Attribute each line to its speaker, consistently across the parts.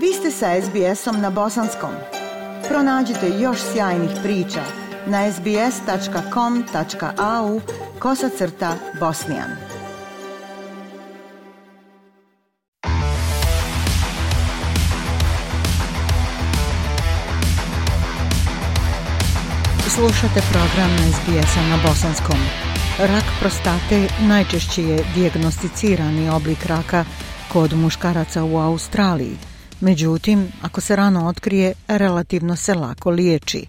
Speaker 1: Vi ste sa SBS-om na bosanskom. Pronađite još sjajnih priča na sbs.com.au/bosnijan. Slušate program na SBS-a na bosanskom. Rak prostate najčešće je dijagnosticirani oblik raka kod muškaraca u Australiji. Međutim, ako se rano otkrije, relativno se lako liječi.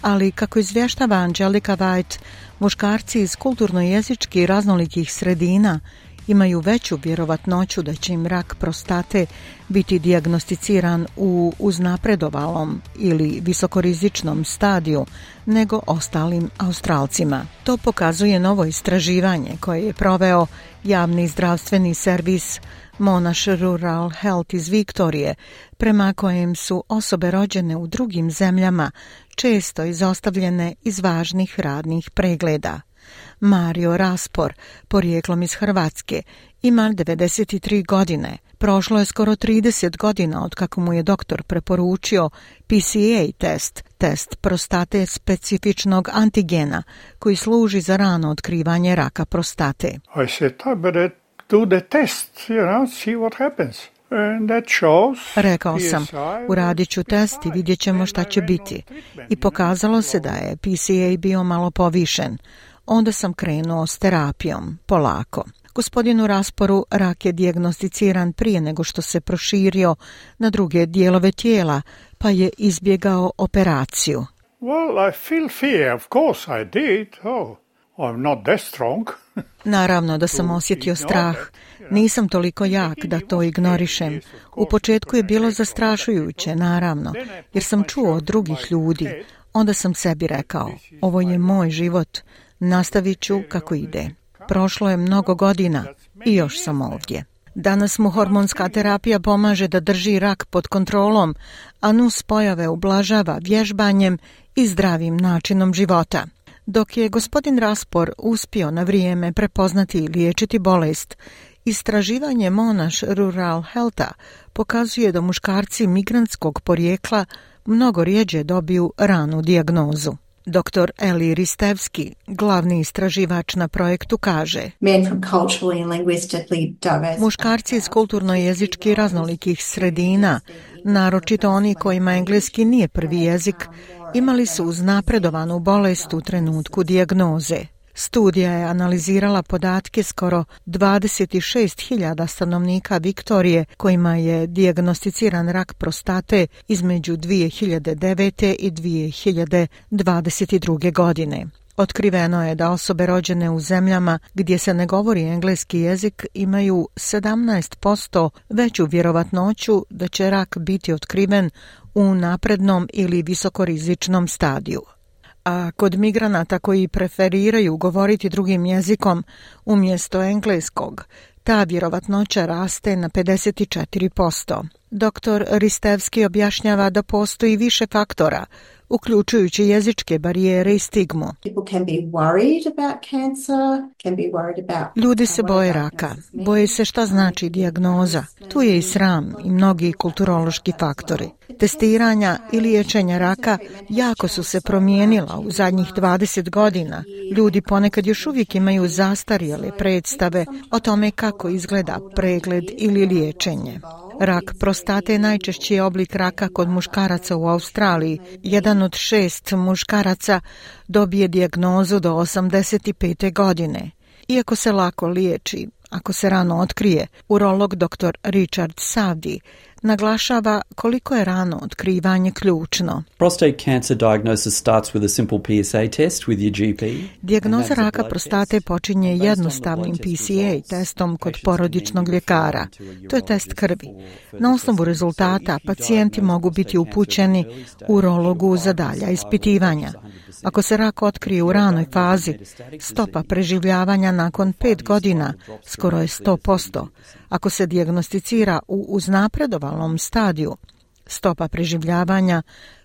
Speaker 1: Ali, kako izvještava Angelica White, muškarci iz kulturno-jezički raznolikih sredina imaju veću vjerovatnoću da će im rak prostate biti dijagnosticiran u uznapredovalom ili visokorizičnom stadiju nego ostalim Australcima. To pokazuje novo istraživanje koje je proveo javni zdravstveni servis Monash Rural Health iz Viktorije, prema kojem su osobe rođene u drugim zemljama često izostavljene iz važnih radnih pregleda. Mario Raspor, porijeklom iz Hrvatske, ima 93 godine. Prošlo je skoro 30 godina od kako mu je doktor preporučio PSA test prostate specifičnog antigena koji služi za rano otkrivanje raka prostate.
Speaker 2: I said, better do the test, see what happens.
Speaker 1: Rekao sam, uradit ću test i vidjet ćemo šta će biti. I pokazalo se da je PSA bio malo povišen. Onda sam krenuo s terapijom, polako. Gospodinu Rasporu rak je dijagnosticiran prije nego što se proširio na druge dijelove tijela, pa je izbjegao operaciju.
Speaker 2: Well, I feel fear, of course I did. I'm not that strong.
Speaker 1: Naravno da sam osjetio strah. Nisam toliko jak da to ignorišem. U početku je bilo zastrašujuće, naravno, jer sam čuo od drugih ljudi. Onda sam sebi rekao, ovo je moj život, nastavit ću kako ide. Prošlo je mnogo godina i još sam ovdje. Danas mu hormonska terapija pomaže da drži rak pod kontrolom, a nus pojave ublažava vježbanjem i zdravim načinom života. Dok je gospodin Raspor uspio na vrijeme prepoznati i liječiti bolest, istraživanje Monash Rural Healtha pokazuje da muškarci migrantskog porijekla mnogo rjeđe dobiju ranu dijagnozu. Dr. Eli Ristevski, glavni istraživač na projektu, kaže: muškarci iz kulturno-jezički raznolikih sredina, naročito oni kojima engleski nije prvi jezik, imali su uznapredovanu bolest u trenutku dijagnoze. Studija je analizirala podatke skoro 26.000 stanovnika Viktorije kojima je dijagnosticiran rak prostate između 2009. i 2022. godine. Otkriveno je da osobe rođene u zemljama gdje se ne govori engleski jezik imaju 17% veću vjerovatnoću da će rak biti otkriven u naprednom ili visokorizičnom stadiju. A kod migranata koji preferiraju govoriti drugim jezikom umjesto engleskog, ta vjerovatnoća raste na 54%. Dr. Ristevski objašnjava da postoji više faktora, uključujući jezičke barijere i stigmu. Ljudi se boje raka, boje se šta znači dijagnoza. Tu je i sram i mnogi kulturološki faktori. Testiranja i liječenja raka jako su se promijenila u zadnjih 20 godina. Ljudi ponekad još uvijek imaju zastarjele predstave o tome kako izgleda pregled ili liječenje. Rak prostate je najčešći oblik raka kod muškaraca u Australiji. 1 od 6 muškaraca dobije dijagnozu do 85. godine. Iako se lako liječi, ako se rano otkrije, urolog dr. Richard Savdi naglašava koliko je rano otkrivanje ključno.
Speaker 3: Prostate cancer diagnosis starts with a simple PSA test with your GP.
Speaker 1: Dijagnoza raka prostate počinje jednostavnim PSA testom kod porodičnog ljekara. To je test krvi. Na osnovu rezultata pacijenti mogu biti upućeni urologu za dalja ispitivanja. Ako se rak otkrije u ranoj fazi, stopa preživljavanja nakon 5 godina skoro je 100%. Ako se dijagnosticira u uznapredovalnom stadiju, stopa preživljavanja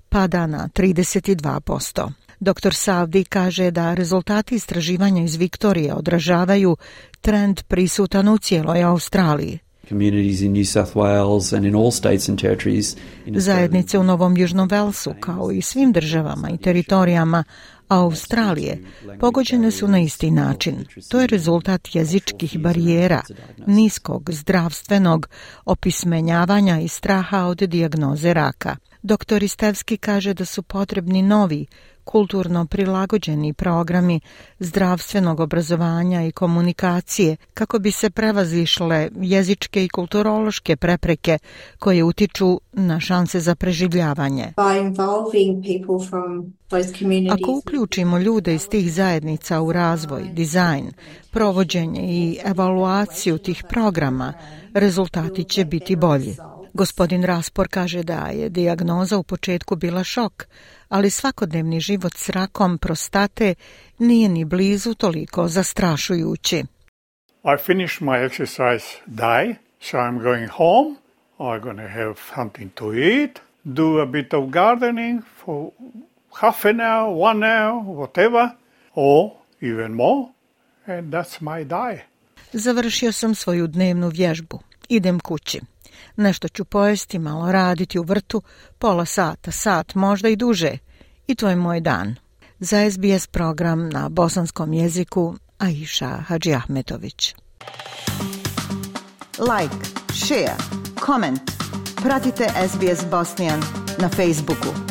Speaker 1: pada na 32%. Dr. Savdi kaže da rezultati istraživanja iz Viktorije odražavaju trend prisutan u cijeloj Australiji.
Speaker 3: communities in New South Wales and in all states and territories in Australia.
Speaker 1: Zajednice u Novom Južnom Velsu, kao i svim državama i teritorijama Australije, pogođene su na isti način. To je rezultat jezičkih barijera, niskog zdravstvenog opismenjavanja i straha od dijagnoze raka. Dr. Istevski kaže da su potrebni novi, kulturno prilagođeni programi zdravstvenog obrazovanja i komunikacije kako bi se prevazišle jezičke i kulturološke prepreke koje utiču na šanse za preživljavanje. Ako uključimo ljude iz tih zajednica u razvoj, dizajn, provođenje i evaluaciju tih programa, rezultati će biti bolji. Gospodin Raspor kaže da je dijagnoza u početku bila šok, ali svakodnevni život s rakom prostate nije ni blizu toliko zastrašujući.
Speaker 2: I finished my exercise day, so I'm going home. I'm going to have something to eat, do a bit of gardening for half an hour, 1 hour, whatever, or even more, and that's my day.
Speaker 1: Završio sam svoju dnevnu vježbu. Idem kući. Nešto ću pojesti, malo raditi u vrtu, pola sata, sat, možda i duže. I to je moj dan. Za SBS program na bosanskom jeziku Aisha Hadžiahmetović. Like, share, comment. Pratite SBS Bosnian na Facebooku.